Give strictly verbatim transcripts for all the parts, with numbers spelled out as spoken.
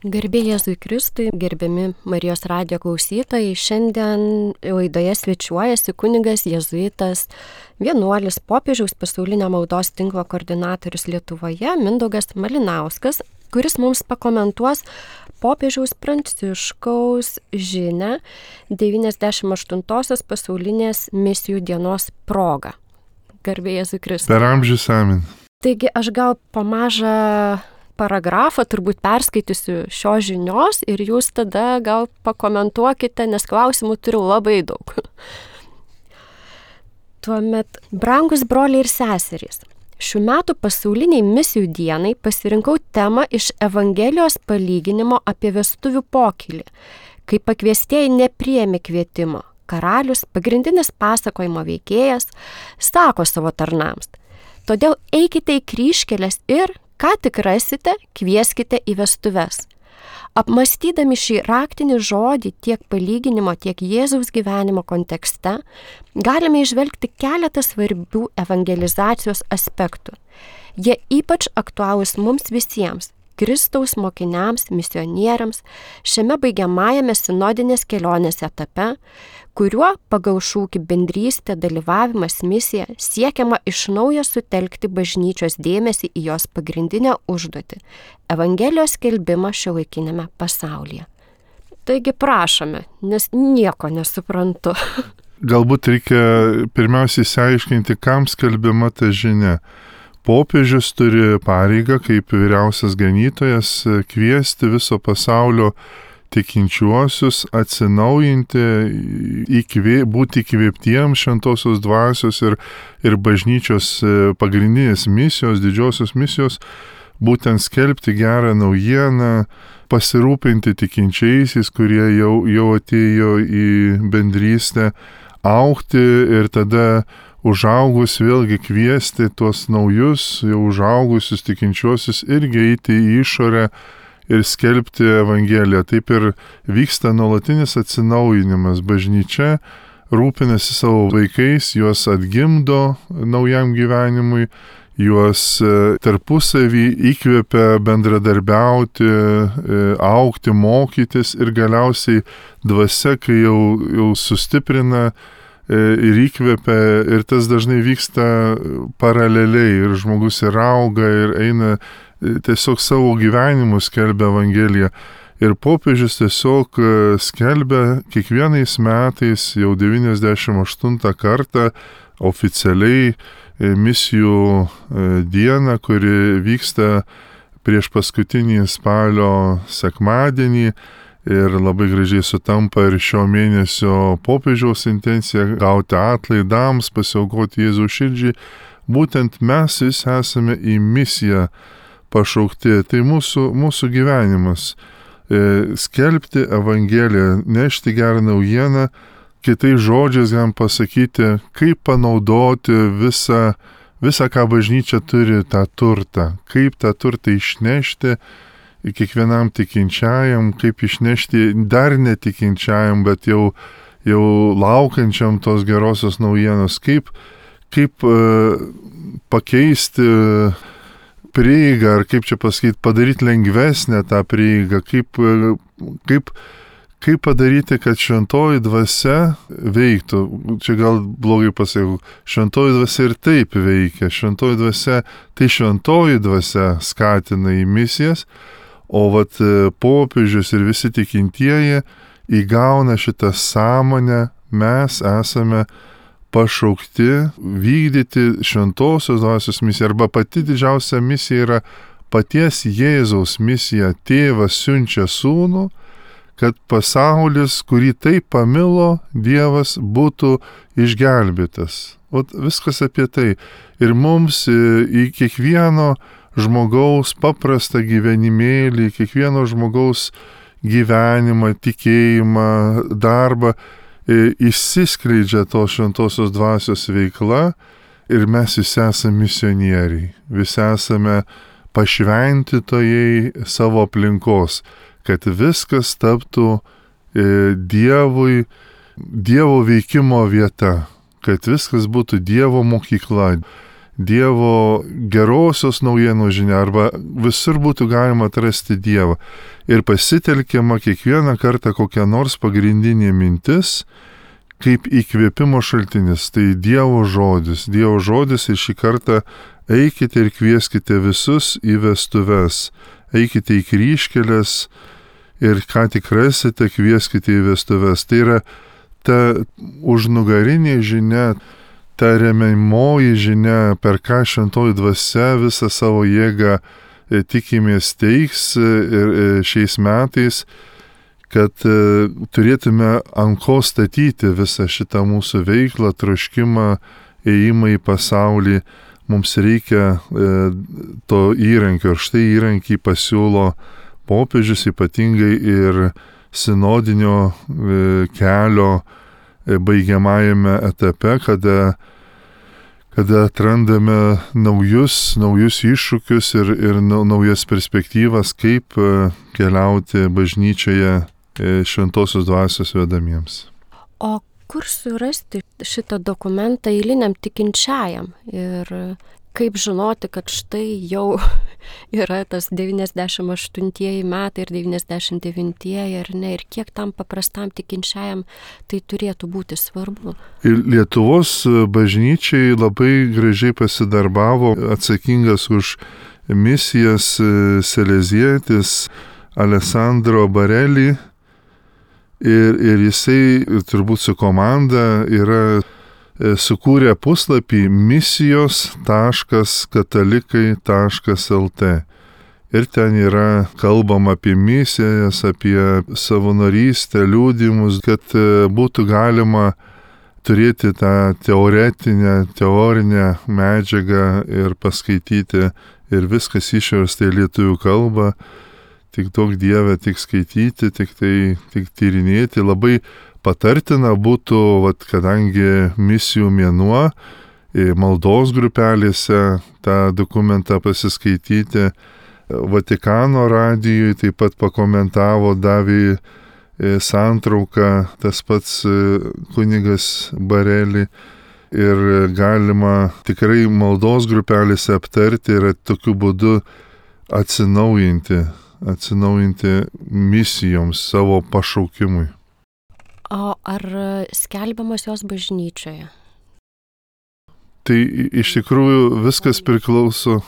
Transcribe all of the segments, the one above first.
Garbė Jėzui Kristui, gerbiami Marijos radijo klausytojai, šiandien laidoje svečiuojasi kunigas jėzuitas, vienuolis, popiežiaus pasaulinio maldos tinklo koordinatorius Lietuvoje Mindaugas Malinauskas, kuris mums pakomentuos popiežiaus Pranciškaus žinią devyniasdešimt aštuntosios pasaulinės misijų dienos proga. Garbė Jėzui Kristui. Per amžius amin. Taigi aš gal po mažą paragrafą turbūt perskaitysiu šios žinios ir jūs tada gal pakomentuokite, nes klausimų turiu labai daug. Tuomet, brangus broliai ir seserys, šių metų pasauliniai misijų dienai pasirinkau temą iš Evangelijos palyginimo apie vestuvių pokylį, kai pakviestieji nepriėmė kvietimo. Karalius, pagrindinis pasakojimo veikėjas, sako savo tarnams: todėl eikite į kryžkeles ir ką tik rasite, kvieskite į vestuves. Apmąstydami šį raktinį žodį tiek palyginimo, tiek Jėzaus gyvenimo kontekste, galime įžvelgti keletą svarbių evangelizacijos aspektų. Jie ypač aktualūs mums visiems, Kristaus mokiniams, misionieriams, šiame baigiamajame sinodinės kelionės etape, kuriuo pagal šūkį bendrystė, dalyvavimas, misija siekiama iš naujo sutelkti bažnyčios dėmesį į jos pagrindinę užduotį – Evangelijos skelbimą šiuolaikiniame pasaulyje. Taigi prašome, nes nieko nesuprantu. Galbūt reikia pirmiausiai išsiaiškinti, kam skelbiama ta žinia. Popiežius turi pareigą kaip vyriausias ganytojas kviesti viso pasaulio tikinčiuosius atsinaujinti, įkvė, būti įkvėptiems šventosios dvasios ir, ir bažnyčios pagrindinės misijos, didžiosios misijos, būtent skelbti gerą naujieną, pasirūpinti tikinčiaisiais, kurie jau, jau atėjo į bendrystę, augti ir tada užaugus vėlgi kviesti tuos naujus, jau užaugusius tikinčiuosius irgi eiti į išorę ir skelbti Evangeliją. Taip ir vyksta nuolatinis atsinaujinimas. Bažnyčia rūpinasi savo vaikais, juos atgimdo naujam gyvenimui, juos tarpusavį įkvepia bendradarbiauti, augti, mokytis ir galiausiai dvasia, kai jau, jau sustiprina ir įkvepia, ir tas dažnai vyksta paraleliai ir žmogus ir auga ir eina tiesiog savo gyvenimu skelbia Evangeliją. Ir popiežius tiesiog skelbia kiekvienais metais jau devyniasdešimt aštuntą kartą oficialiai misijų dieną, kuri vyksta prieš paskutinį spalio sekmadienį. Ir labai gražiai sutampa ir šio mėnesio popiežiaus intencija gauti atlaidams, pasiaukoti Jėzaus širdžiai. Būtent mes visi esame į misiją pašaukti. Tai mūsų, mūsų gyvenimas. E, skelbti Evangeliją, nešti gerą naujieną, kitais žodžiais galim pasakyti, kaip panaudoti visą, visą, ką bažnyčia turi, tą turtą. Kaip tą turtą išnešti kiekvienam tikinčiajam, kaip išnešti dar netikinčiajam, bet jau, jau laukiančiam tos gerosios naujienos, kaip, kaip uh, pakeisti prieigą, ar kaip čia pasakyti, padaryti lengvesnę tą prieigą, kaip, uh, kaip, kaip padaryti, kad šventoji dvasia veiktų. Čia gal blogai pasakiau, šventoji dvasia ir taip veikia, šventoji dvasia, tai šventoji dvasia skatina į misijas, o vat popiežius ir visi tikintieji įgauna šitą sąmonę, mes esame pašaukti vykdyti šventosios dvasios misiją, arba pati didžiausia misija yra paties Jėzaus misija. Tėvas siunčia sūnų, kad pasaulis, kurį taip pamilo Dievas, būtų išgelbėtas. O viskas apie tai. Ir mums į kiekvieno žmogaus paprastą gyvenimėlį, kiekvieno žmogaus gyvenimą, tikėjimą, darbą, išsiskleidžia tos šventosios dvasios veikla ir mes visi esame misionieriai, visi esame pašventytojai savo aplinkos, kad viskas taptų Dievui, Dievo veikimo vieta, kad viskas būtų Dievo mokykla. Dievo gerosios naujienos žinia, arba visur būtų galima atrasti Dievą. Ir pasitelkiama kiekvieną kartą kokia nors pagrindinė mintis, kaip įkvėpimo šaltinis. Tai Dievo žodis. Dievo žodis ir šį kartą eikite ir kvieskite visus į vestuves. Eikite į kryžkelės ir ką tik rasite, kvieskite į vestuves. Tai yra ta užnugarinė žinia, ta remiamoji žinia, per ką šventoji dvasia visą savo jėgą tikimės teiks ir šiais metais, kad turėtume ant ko statyti visą šitą mūsų veiklą, troškimą, ėjimą į pasaulį. Mums reikia to įrankio ir štai įrankį pasiūlo popiežius, ypatingai ir sinodinio kelio baigiamajame etape, kada, kada atrandame naujus, naujus iššūkius ir, ir naujas perspektyvas, kaip keliauti bažnyčioje šventosios dvasios vedamiems. O kur surasti šitą dokumentą eiliniam tikinčiajam ir kaip žinoti, kad štai jau yra tas devyniasdešimt aštuntieji metai ir devyniasdešimt devintieji ar ne, ir kiek tam paprastam tikinčiajam tai turėtų būti svarbu. Ir Lietuvos bažnyčiai labai gražiai pasidarbavo atsakingas už misijas salezietis Alessandro Bareli. Ir, ir jisai turbūt su komanda yra sukūrė puslapį misijos taškas katalikai taškas el tė. Ir ten yra kalbama apie misijas, apie savanorystę, liudijimus, kad būtų galima turėti tą teoretinę, teorinę medžiagą ir paskaityti, ir viskas išversta į lietuvių kalbą. Tik daug Dieve, tik skaityti, tik tai, tik tyrinėti. Labai patartina būtų, vat, kadangi misijų mėnuo, maldos grupelėse tą dokumentą pasiskaityti. Vatikano radijui taip pat pakomentavo, davė santrauką tas pats kunigas Bareli. Ir galima tikrai maldos grupelėse aptarti ir tokiu būdu atsinaujinti. atsinaujinti misijoms, savo pašaukimui. O ar skelbiamos jos bažnyčioje? Tai iš tikrųjų viskas priklauso,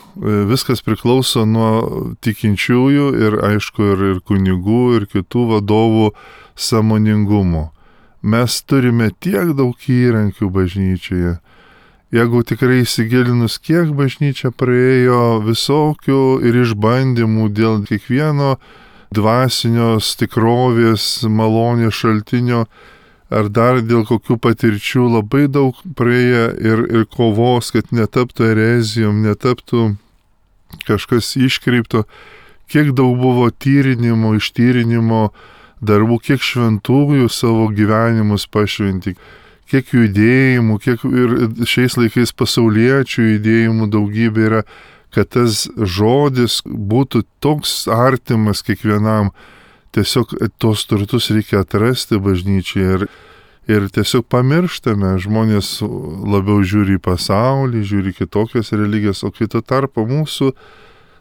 viskas priklauso nuo tikinčiųjų ir aišku ir, ir kunigų ir kitų vadovų sąmoningumo. Mes turime tiek daug įrankių bažnyčioje. Jeigu tikrai įsigilinus, kiek bažnyčia praėjo visokių ir išbandymų dėl kiekvieno dvasinios tikrovės, malonės šaltinio, ar dar dėl kokių patirčių, labai daug praėjo ir, ir kovos, kad netaptų erezijom, netaptų kažkas iškreipto, kiek daug buvo tyrinimo, ištyrinimo darbų, kiek šventųjų savo gyvenimus pašventi, kiek judėjimų, kiek ir šiais laikais pasauliečių judėjimų daugybė yra, kad tas žodis būtų toks artimas kiekvienam. Tiesiog tos turtus reikia atrasti bažnyčiai ir, ir tiesiog pamirštame. Žmonės labiau žiūri į pasaulį, žiūri kitokias religijas, o kito tarpo mūsų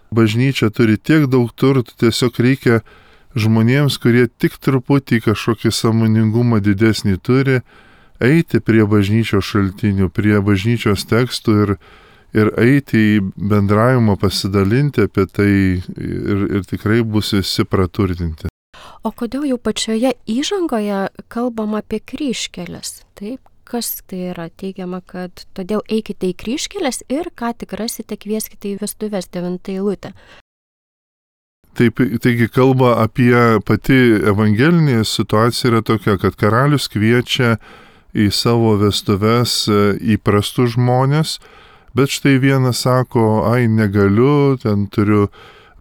bažnyčia turi tiek daug turtų, tiesiog reikia žmonėms, kurie tik truputį kažkokį sąmoningumą didesnį turi, eiti prie bažnyčios šaltinių, prie bažnyčios tekstų ir, ir eiti į bendravimą, pasidalinti apie tai ir, ir tikrai bus visi praturtinti. O kodėl jau pačioje įžangoje kalbama apie kryžkeles? Taip, kas tai yra? Teigiama, kad todėl eikite į kryžkeles ir ką tik rasite, kvieskite į vestuves, devintą eilutę. Taip, taigi kalba apie pati evangelinė situacija yra tokia, kad karalius kviečia į savo vestuves įprastus žmonės, bet štai vienas sako, ai negaliu, ten turiu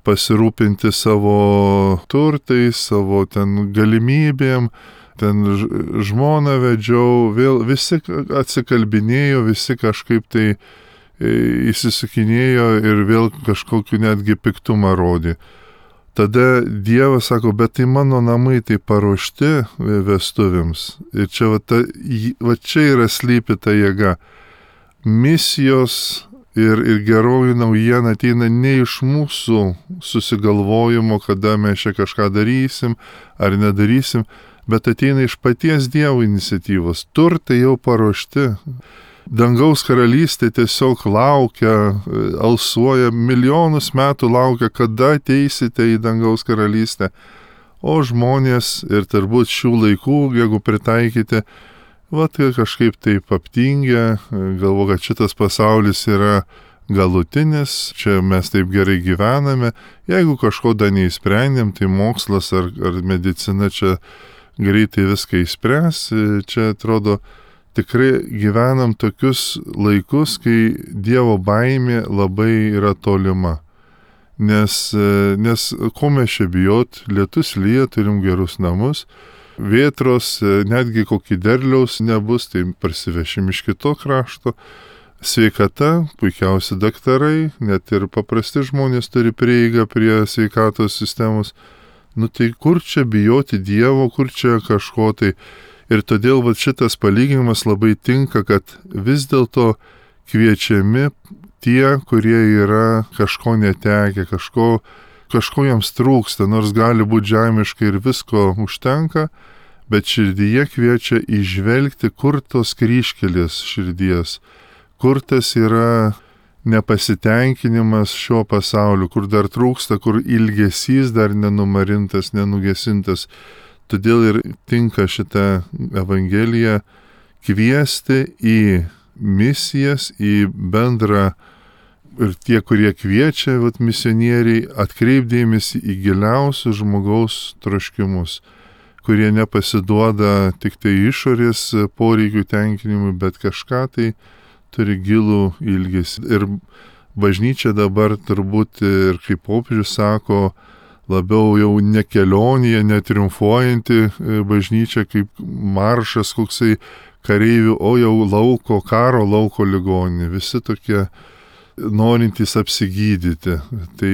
pasirūpinti savo turtais, savo ten galimybėm, ten žmoną vedžiau, vėl visi atsikalbinėjo, visi kažkaip tai įsisukinėjo ir vėl kažkokiu netgi piktumą rodė. Tada Dievas sako, bet tai mano namai tai paruošti vestuvėms. Ir čia, va, ta, va čia yra slypi ta jėga. Misijos Ir, ir geroji naujiena ateina ne iš mūsų susigalvojimo, kada mes čia kažką darysim ar nedarysim, bet ateina iš paties Dievo iniciatyvos. Turtai jau paruošti. Dangaus karalystė tiesiog laukia, alsuoja, milijonus metų laukia, kada ateisite į dangaus karalystę. O žmonės ir turbūt šių laikų, jeigu pritaikyti, va, tai kažkaip taip aptingę, galvo, kad šitas pasaulis yra galutinis, čia mes taip gerai gyvename, jeigu kažko dar neįsprendėm, tai mokslas ar, ar medicina čia greitai viską įspręs, čia atrodo tikrai gyvenam tokius laikus, kai Dievo baimė labai yra tolima. Nes, nes ko mes čia bijot, lietus lyja, turim gerus namus, vėtros, netgi kokį derliaus nebus, tai parsivešim iš kito krašto. Sveikata, puikiausi daktarai, net ir paprasti žmonės turi prieigą prie sveikatos sistemos. Nu tai kur čia bijoti Dievo, kur čia kažko tai. Ir todėl va, šitas palyginimas labai tinka, kad vis dėlto kviečiami tie, kurie yra kažko netekę, kažko kažko jiems trūksta, nors gali būti žemiškai ir visko užtenka, bet širdyje kviečia įžvelgti, kur tos kryžkelės širdies, kur tas yra nepasitenkinimas šio pasaulio, kur dar trūksta, kur ilgesys dar nenumarintas, nenugesintas. Todėl ir tinka šitą Evangeliją kviesti į misijas, į bendrą. Ir tie, kurie kviečia, vat, misionieriai, atkreipdėmėsi į giliausius žmogaus troškimus, kurie nepasiduoda tik tai išorės poreikių tenkinimui, bet kažką tai turi gilų ilgesį. Ir bažnyčia dabar turbūt, ir kaip popiežius sako, labiau jau ne kelionėje, netriumfuojanti bažnyčia, kaip maršas koksai kareivių, o jau lauko, karo lauko ligoninė. Visi tokie norintys apsigydyti. Tai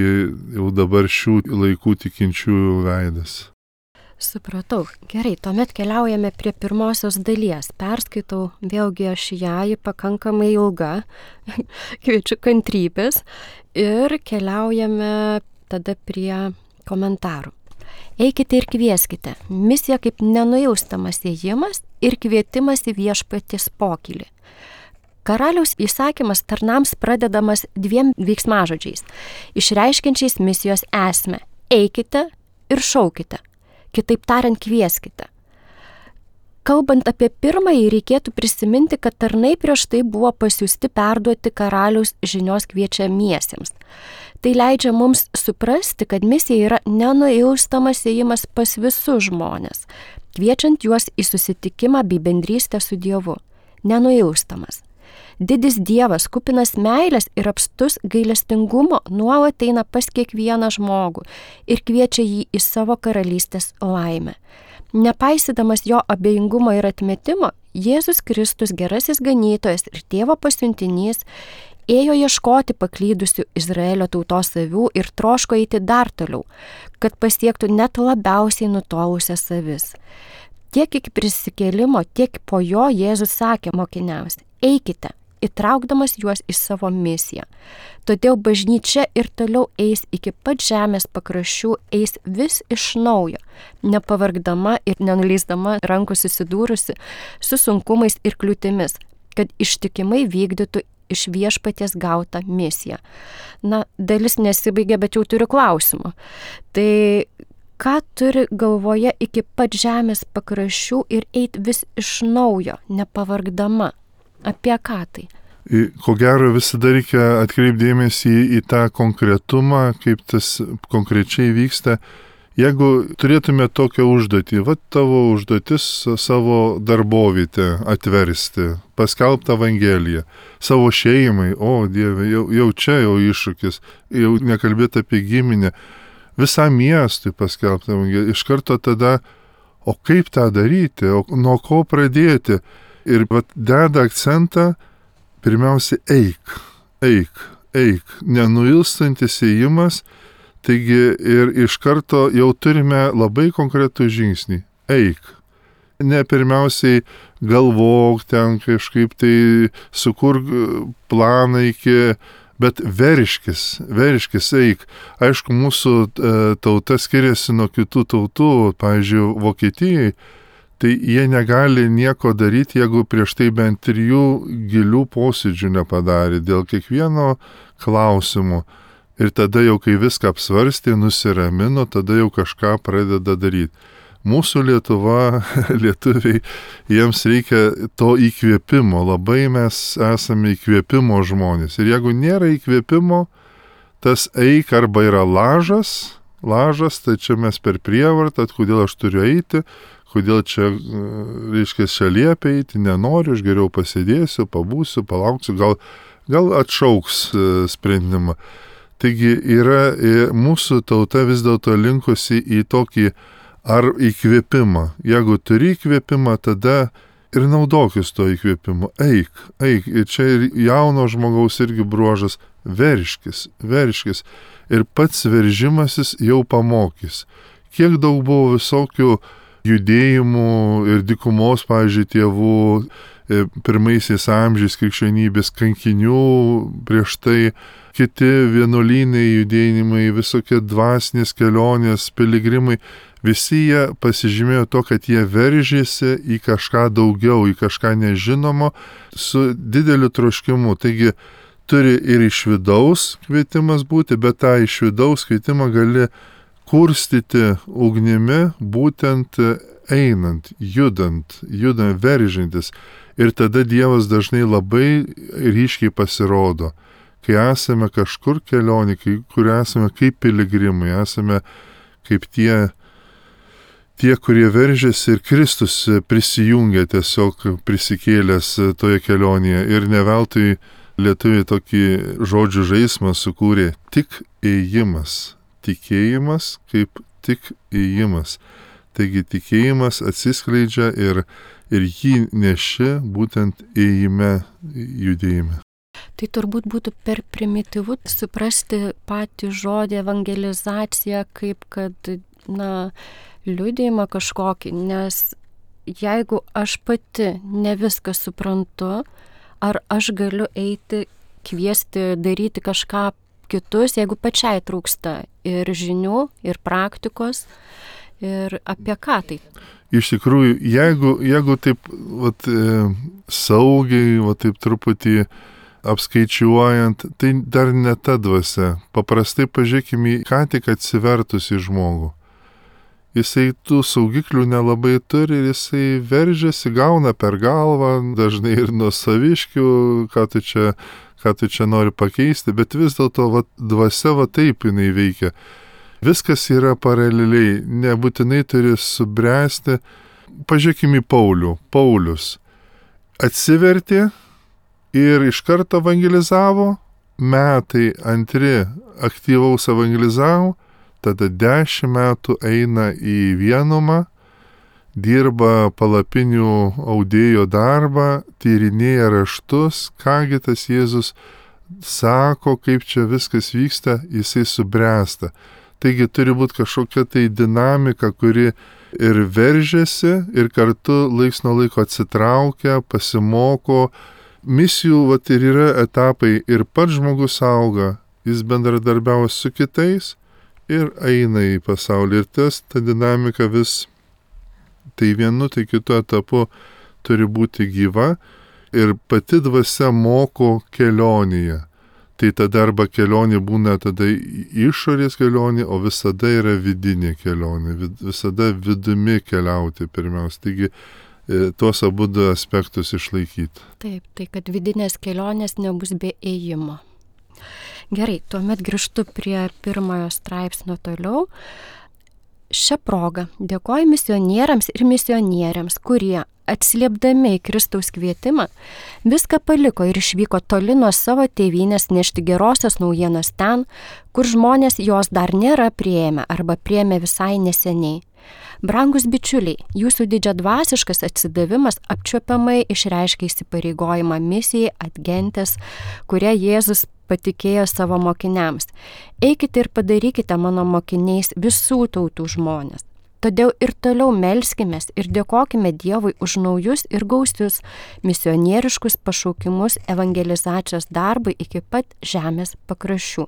jau dabar šių laikų tikinčiųjų veidas. Supratau. Gerai, tuomet keliaujame prie pirmosios dalies. Perskaitau vėlgi aš ją, ji pakankamai ilga, kviečiu kantrybės ir keliaujame tada prie komentarų. Eikite ir kvieskite. Misija kaip nenuilstamas ėjimas ir kvietimas į viešpaties pokylį. Karaliaus įsakymas tarnams pradedamas dviem veiksmažodžiais, išreiškiančiais misijos esmę. Eikite ir šaukite. Kitaip tariant, kvieskite. Kalbant apie pirmąjį, reikėtų prisiminti, kad tarnai prieš tai buvo pasiųsti perduoti karaliaus žinios kviečiamiesiems. Tai leidžia mums suprasti, kad misija yra nenuilstamas ėjimas pas visus žmonės, kviečiant juos į susitikimą bei bendrystę su Dievu. Nenuilstamas. Didis Dievas, kupinas meilės ir apstus gailestingumo, nuolat eina pas kiekvieną žmogų ir kviečia jį į savo karalystės laimę. Nepaisydamas jo abejingumo ir atmetimo, Jėzus Kristus, gerasis ganytojas ir Tėvo pasiuntinys, ėjo ieškoti paklydusių Izraelio tautos avių ir troško eiti dar toliau, kad pasiektų net labiausiai nutolusias avis. Tiek iki prisikėlimo, tiek po jo Jėzus sakė mokiniams: eikite, įtraukdamas juos į savo misiją. Todėl bažnyčia ir toliau eis iki pat žemės pakraščių, eis vis iš naujo, nepavargdama ir nenuleisdama rankų susidūrusi su sunkumais ir kliūtimis, kad ištikimai vykdytų iš viešpaties gautą misiją. Na, dalis nesibaigia, bet jau turiu klausimų. Tai ką turi galvoje iki pat žemės pakraščių ir eit vis iš naujo, nepavargdama? Apie ką tai? Ko gero visada reikia atkreipdėmėsi į, į tą konkretumą, kaip tas konkrečiai vyksta. Jeigu turėtume tokią užduotį, va tavo užduotis savo darbovietę atversti, paskelbti Evangeliją, savo šeimai, o Dieve, jau, jau čia jau iššūkis, jau nekalbėti apie giminę, visam miestui paskelbti Evangeliją. Iš karto tada, o kaip tą daryti, o nuo ko pradėti? Ir vat deda akcentą, pirmiausia, eik, eik, eik, nenuilstantis ėjimas, taigi ir iš karto jau turime labai konkretų žingsnį, eik. ne pirmiausiai galvok ten kažkaip tai sukur planą iki, bet veriškis, veriškis eik. Aišku, mūsų e, tauta skiriasi nuo kitų tautų, pavyzdžiui, Vokietijai, tai jie negali nieko daryti, jeigu prieš tai bent trijų gilių posėdžių nepadarė dėl kiekvieno klausimo. Ir tada jau, kai viską apsvarstė, nusiramino, tada jau kažką pradeda daryti. Mūsų Lietuva, lietuviai, jiems reikia to įkvėpimo. Labai mes esame įkvėpimo žmonės. Ir jeigu nėra įkvėpimo, tas eik arba yra lažas, lažas, tai čia mes per prievartą, kodėl aš turiu eiti, kodėl čia, reiškia, čia liepia eiti, nenoriu, aš geriau pasėdėsiu, pabūsiu, palauksiu, gal, gal atšauks sprendimą. Taigi yra mūsų tauta vis dėlto linkusi į tokį ar įkvėpimą. Jeigu turi įkvėpimą, tada ir naudokis to įkvėpimo. Eik, eik. Ir čia ir jauno žmogaus irgi bruožas verškis, verškis. Ir pats veržimasis jau pamokys. Kiek daug buvo visokių judėjimų ir dykumos, pavyzdžiui, tėvų pirmaisiais amžiais krikščionybės kankinių, prieš tai kiti vienuolynai judėjimai, visokie dvasinės kelionės, piligrimai, visi jie pasižymėjo to, kad jie veržėsi į kažką daugiau, į kažką nežinomo, su dideliu troškimu. Taigi turi ir iš vidaus kvietimas būti, bet tą iš vidaus kvietimą gali kurstyti ugnimi, būtent einant, judant, judant, veržintis. Ir tada Dievas dažnai labai ryškiai pasirodo. Kai esame kažkur kelionė, kur esame kaip piligrimai, esame kaip tie, tie, kurie veržiasi ir Kristus prisijungia tiesiog prisikėlęs toje kelionėje. Ir ne veltui lietuviai tokį žodžių žaismą sukūrė tik ėjimas. Tikėjimas kaip tik ėjimas. Taigi tikėjimas atsiskleidžia ir, ir jį neši būtent ėjime, judėjime. Tai turbūt būtų per primityvu suprasti patį žodį evangelizacija kaip kad, na, liudijimą kažkokį, nes jeigu aš pati ne viską suprantu, ar aš galiu eiti, kviesti, daryti kažką kitus, jeigu pačiai trūksta ir žinių, ir praktikos, ir apie ką tai? Iš tikrųjų, jeigu, jeigu taip vat, e, saugiai, vat, taip truputį apskaičiuojant, tai dar ne ta dvasia. Paprastai pažiūrėkime į ką tik atsivertusi žmogų. Jisai tų saugiklių nelabai turi ir jisai veržiasi, gauna per galvą, dažnai ir nuo saviškių, ką tu čia, ką tu čia nori pakeisti, bet vis dėlto va, dvasia va taip jinai veikia. Viskas yra paraleliai, nebūtinai turi subręsti. Pažiūrėkime į Paulių. Paulius atsivertė ir iš karto evangelizavo, metai antri aktyvaus evangelizavo, tada dešimt metų eina į vienumą, dirba palapinių audėjo darbą, tyrinėja raštus, kągi tas Jėzus sako, kaip čia viskas vyksta, jisai subręsta. Taigi turi būti kažkokia tai dinamika, kuri ir veržiasi, ir kartu laiks nuo laiko atsitraukia, pasimoko. Misijų vat, ir yra etapai, ir pats žmogus auga, jis bendradarbiauja su kitais ir eina į pasaulį. Ir tas, ta dinamika vis, tai vienu, tai kitu etapu turi būti gyva ir pati dvasia moko kelionėje. Tai tada arba kelionė būna tada išorės kelionė, o visada yra vidinė kelionė, visada vidumi keliauti pirmiausia. Taigi tuos abu du aspektus išlaikyti. Taip, tai kad vidinės kelionės nebus be ėjimo. Gerai, tuomet grįžtu prie pirmojo straipsnio toliau. Šią progą dėkoju misionieriams ir misionieriams, kurie atsiliepdami į Kristaus kvietimą, viską paliko ir išvyko toli nuo savo tėvynės nešti gerosios naujienos ten, kur žmonės jos dar nėra priėmę arba priėmė visai neseniai. Brangus bičiuliai, jūsų didžiadvasiškas atsidavimas apčiuopiamai išreiškia įsipareigojimą misijai Adgentes, kurią Jėzus patikėjo savo mokiniams. Eikite ir padarykite mano mokiniais visų tautų žmonės. Todėl ir toliau melskimės ir dėkokime Dievui už naujus ir gausius misionieriškus pašaukimus evangelizacijos darbui iki pat žemės pakraščių.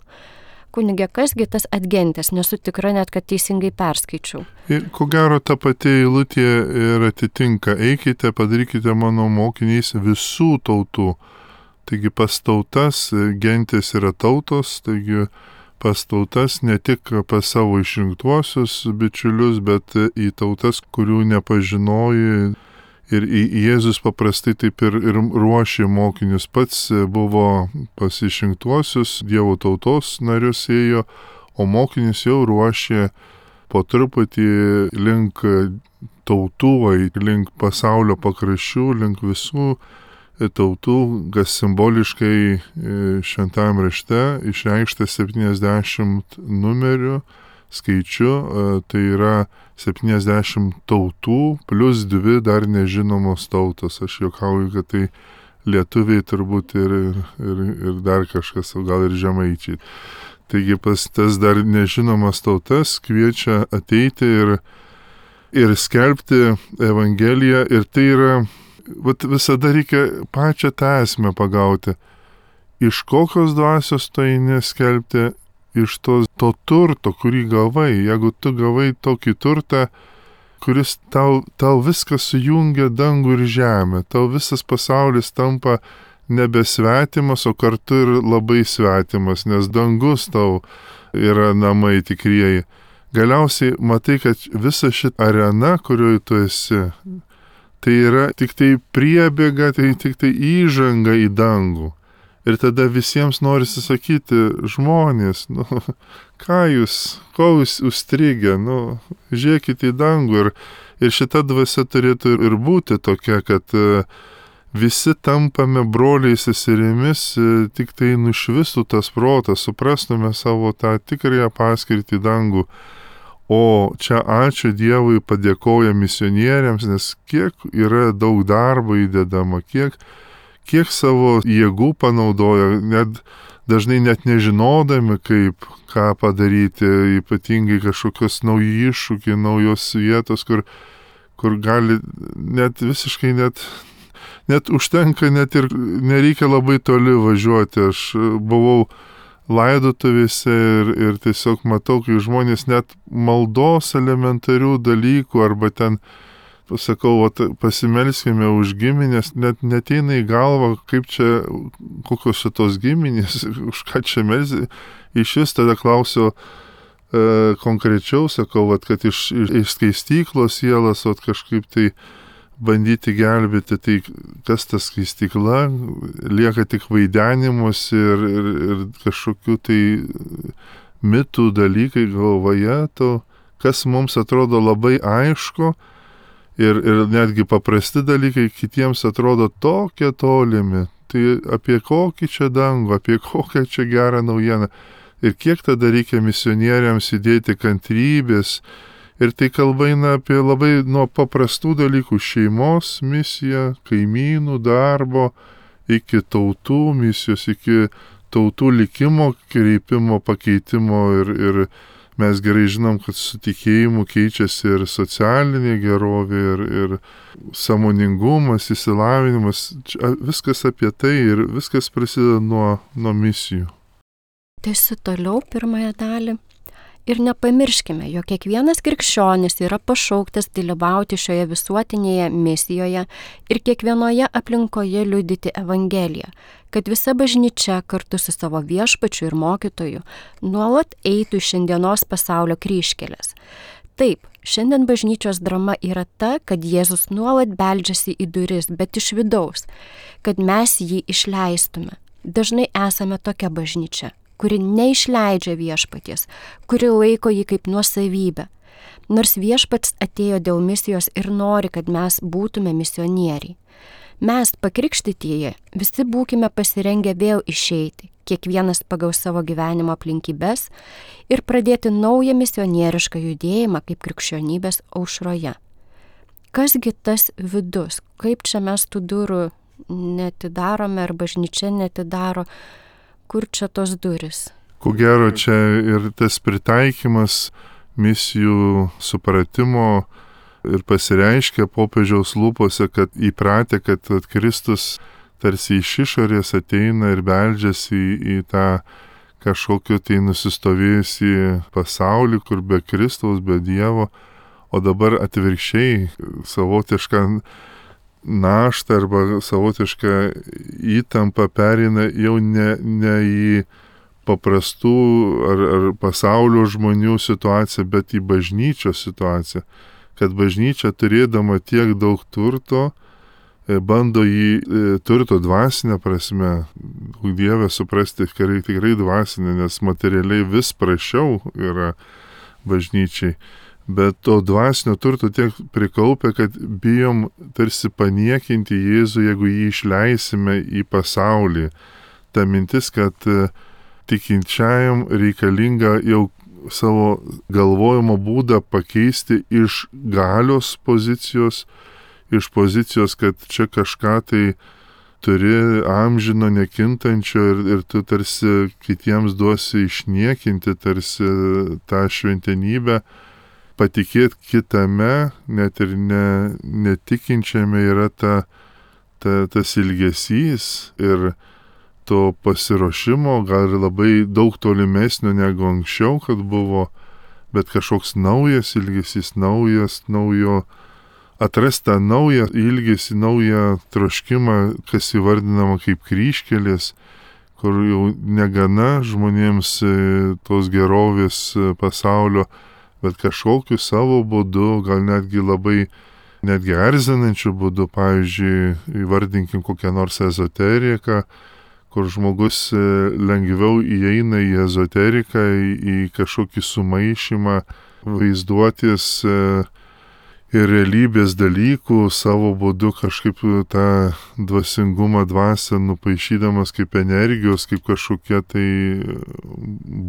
Kunige, kasgi tas adgentas, nesu tikra net, kad teisingai perskaičiau. Ir ko gero ta pati eilutė ir atitinka, eikite, padarykite mano mokiniais visų tautų. Taigi pas tautas, gentis yra tautos, taigi pas tautas ne tik pas savo išrinktuosius bičiulius, bet į tautas, kurių nepažinoji. Ir Jėzus paprastai taip ir, ir ruošė mokinius. Pats buvo pas išrinktuosius, Dievo tautos narius ėjo, o mokinius jau ruošė po truputį link tautų, link pasaulio pakraščių, link visų tautų, kas simboliškai šventajame rašte išreikšta septyniasdešimt numerių skaičiu, tai yra septyniasdešimt tautų plus dvi dar nežinomos tautos. Aš juokauju, kad tai lietuviai turbūt ir, ir, ir dar kažkas, gal ir žemaičiai. Taigi pas tas dar nežinomas tautas kviečia ateiti ir, ir skelbti Evangeliją. Ir tai yra, vat visada reikia pačią tą esmę pagauti. Iš kokios dvasios to eini skelbti? Iš to, to turto, kurį gavai. Jeigu tu gavai tokį turtą, kuris tau, tau viskas sujungia dangų ir žemę, tau visas pasaulis tampa nebesvetimas, o kartu ir labai svetimas, nes dangus tau yra namai tikrieji. Galiausiai matai, kad visa šita arena, kurioje tu esi, tai yra tik tai priebėga, tai tik tai įžanga į dangų. Ir tada visiems norisi sakyti, žmonės, nu, ką jūs, ko jūs užstrigę, nu, žiūrėkite į dangų. Ir, ir šita dvasia turėtų ir būti tokia, kad visi tampame broliais seserimis, tik tai nušvistų tas protas, suprastume savo tą tikrąją paskirtį į dangų. O čia ačiū Dievui padėkoja misionieriams, nes kiek yra daug darbo įdedama, kiek kiek savo jėgų panaudoja, net dažnai net nežinodami, kaip ką padaryti, ypatingai kažkokios nauji iššūkiai, naujos vietos, kur, kur gali net visiškai net, net užtenka, net ir nereikia labai toli važiuoti. Aš buvau laidotuvėse ir, ir tiesiog matau, kai žmonės net maldos elementarių dalykų arba ten sakau, pasimelskime už giminės, net neteina į galvą, kaip čia, kokios šitos giminės, už ką čia melzi. Iš vis tada klausiu e, konkrečiau, sakau, vat, kad iš, iš, iš skaistyklos sielas, vat, kažkaip tai bandyti gelbėti, tai kas ta skaistykla, lieka tik vaidenimus ir, ir, ir kažkokių tai mitų dalykai galvoje, to, kas mums atrodo labai aišku, Ir, ir netgi paprasti dalykai kitiems atrodo tokie tolimi. Tai apie kokį čia dangų, apie kokią čia gerą naujieną. Ir kiek tada reikia misionieriams įdėti kantrybės. Ir tai kalba eina apie labai nuo paprastų dalykų - šeimos misiją, kaimynų darbo, iki tautų misijos, iki tautų likimo kreipimo, pakeitimo ir, ir mes gerai žinom, kad su tikėjimu keičiasi ir socialinė gerovė, ir, ir sąmoningumas, išsilavinimas. Viskas apie tai ir viskas prasideda nuo, nuo misijų. Tęsiu toliau pirmąją dalį. Ir nepamirškime, jog kiekvienas krikščionis yra pašauktas dalyvauti šioje visuotinėje misijoje ir kiekvienoje aplinkoje liudyti Evangeliją, kad visa bažnyčia kartu su savo viešpačiu ir mokytoju nuolat eitų į šiandienos pasaulio kryžkeles. Taip, šiandien bažnyčios drama yra ta, kad Jėzus nuolat beldžiasi į duris, bet iš vidaus, kad mes jį išleistume. Dažnai esame tokia bažnyčia, kuri neišleidžia viešpaties, kuri laiko jį kaip nuosavybę. Nors viešpats atėjo dėl misijos ir nori, kad mes būtume misionieriai. Mes, pakrikštytieji, visi būkime pasirengę vėl išeiti, kiekvienas pagal savo gyvenimo aplinkybes ir pradėti naują misionierišką judėjimą kaip krikščionybės aušroje. Kasgi tas vidus, kaip čia mes tų durų netidarome ar bažnyčia netidaro, kur čia tos durys? Ko gero čia ir tas pritaikymas misijų supratimo ir pasireiškia popiežiaus lūpose, kad įpratę, kad Kristus tarsi iš išorės ateina ir beldžiasi į, į tą kažkokį tai nusistovėjusį pasaulį, kur be Kristaus, be Dievo, o dabar atvirkščiai savotišką naštą arba savotišką įtampą pereina jau ne, ne į paprastų ar, ar pasaulio žmonių situaciją, bet į bažnyčios situaciją. Kad bažnyčia turėdama tiek daug turto, bando jį turto dvasinę prasme, Dievę suprasti tikrai, tikrai dvasinę, nes materialiai vis prašiau yra bažnyčiai. Bet to dvasinio turto tiek prikaupę, kad bijom tarsi paniekinti Jėzų, jeigu jį išleisime į pasaulį. Ta mintis, kad tikinčiajam reikalinga jau savo galvojimo būdą pakeisti iš galios pozicijos, iš pozicijos, kad čia kažką tai turi amžino, nekintančio ir, ir tu tarsi kitiems duosi išniekinti tarsi tą šventenybę, patikėti kitame, net ir ne, netikinčiame yra ta, ta, tas ilgesys ir to pasiruošimo, gal ir labai daug tolimesnio negu anksčiau, kad buvo, bet kažkoks naujas ilgesys, naujas, naujo, atrasti tą naują ilgesį, naują troškimą, kas įvardinama kaip kryžkelės, kur jau negana žmonėms tos gerovės pasaulio, bet kažkokiu savo būdu, gal netgi labai, netgi erzinančiu būdu, pavyzdžiui, įvardinkim kokią nors ezoteriką, kur žmogus lengviau įeina į ezoteriką, į, į kažkokį sumaišymą vaizduotis ir realybės dalykų savo būdu kažkaip tą dvasingumą dvasią nupaišydamas kaip energijos, kaip kažkokie tai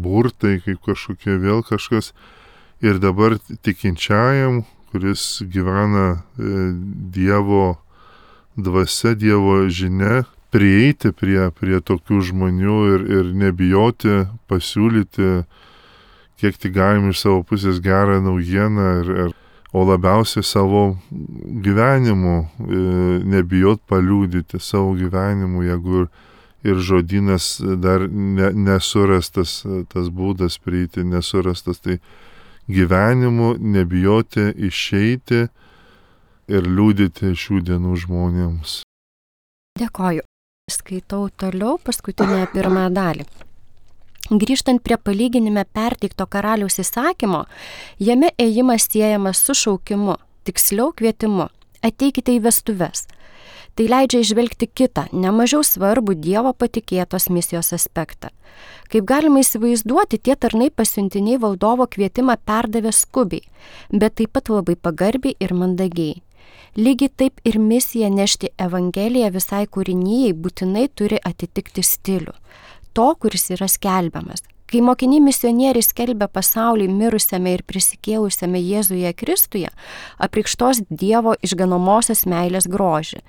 burtai, kaip kažkokie vėl kažkas. Ir dabar tikinčiajam, kuris gyvena Dievo dvasia, Dievo žinia, prieiti prie, prie tokių žmonių ir, ir nebijoti pasiūlyti, kiek tik galim iš savo pusės gerą naujieną, ir, ir, o labiausiai savo gyvenimu, nebijot paliūdyti savo gyvenimu, jeigu ir, ir žodynas dar ne, nesurastas, tas būdas prieiti nesurastas, tai gyvenimu nebijoti išeiti ir liūdyti šių dienų žmonėms. Dėkoju. Skaitau toliau paskutinę pirmą dalį. Grįžtant prie palyginime perteikto karaliaus įsakymo, jame ėjimas siejamas su šaukimu, tiksliau kvietimu. Ateikite į vestuves. Tai leidžia išvelgti kitą, nemažiau svarbų Dievo patikėtos misijos aspektą. Kaip galima įsivaizduoti, tie tarnai pasiuntiniai valdovo kvietimą perdavė skubiai, bet taip pat labai pagarbiai ir mandagiai. Lygiai taip ir misija nešti Evangeliją visai kūrinijai būtinai turi atitikti stilių, to, kuris yra skelbiamas. Kai mokiniai misionieriai skelbia pasaulį mirusiame ir prisikėlusiame Jėzuje Kristuje, apreikštos Dievo išganomosios meilės grožį.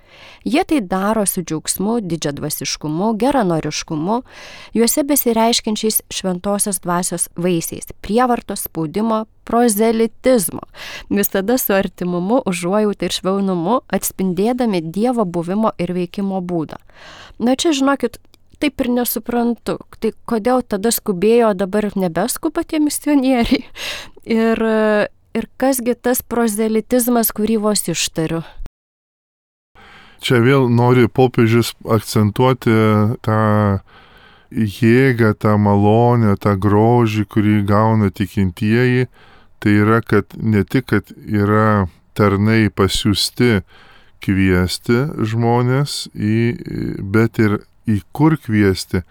Jie tai daro su džiaugsmu, didžiadvasiškumu, geranoriškumu, juose besireiškiančiais šventosios dvasios vaisiais, prievartos, spaudimo, prozelitizmo, visada su artimumu, užuojauta ir švelnumu, atspindėdami Dievo buvimo ir veikimo būdą. Na čia, žinokit, taip ir nesuprantu, tai kodėl tada skubėjo, dabar nebeskuba tie misionieriai. Ir, ir kasgi tas prozelitizmas, kurį vos ištariu. Čia vėl nori popiežius akcentuoti tą jėgą, tą malonę, tą grožį, kurį gauna tikintieji. Tai yra, kad ne tik, kad yra tarnai pasiųsti kviesti žmonės, į, bet ir į kur kviesti,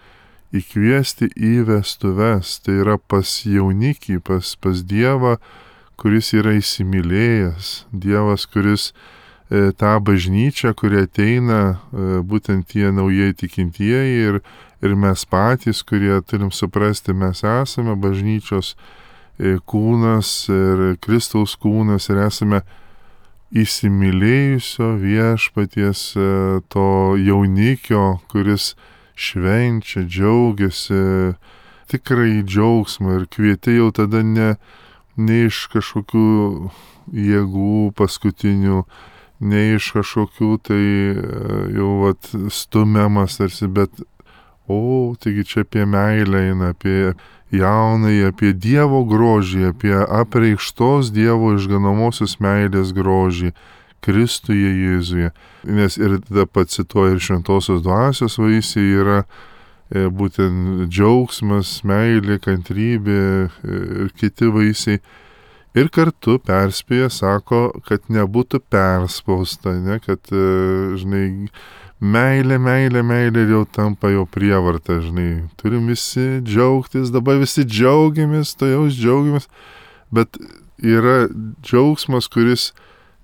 įkviesti į vestuves, tai yra pas jaunikį, pas, pas Dievą, kuris yra įsimylėjęs, Dievas, kuris e, tą bažnyčią, kurie ateina, e, būtent tie naujai tikintieji ir, ir mes patys, kurie turim suprasti, mes esame bažnyčios e, kūnas ir Kristaus kūnas ir esame įsimylėjusio viešpaties to jaunikio, kuris švenčia, džiaugiasi, tikrai džiaugsmą ir kvieti jau tada ne, ne iš kažkokių jėgų paskutinių, ne iš kažkokių tai jau vat stumiamas tarsi, bet o, taigi čia apie meilę eina, apie jaunai, apie Dievo grožį, apie apreikštos Dievo išganomosios meilės grožį Kristuje Jėzuje. Nes ir tada pacituoja ir šventosios dvasios vaisiai yra e, būtent džiaugsmas, meilė, kantrybė ir kiti vaisiai. Ir kartu perspėja, sako, kad nebūtų perspausta, ne, kad, žinai, meilė, meilė, meilė ir jau tampa jau prievarta, žinai. Turim visi džiaugtis, dabar visi džiaugiamės, to jau džiaugiamės, bet yra džiaugsmas, kuris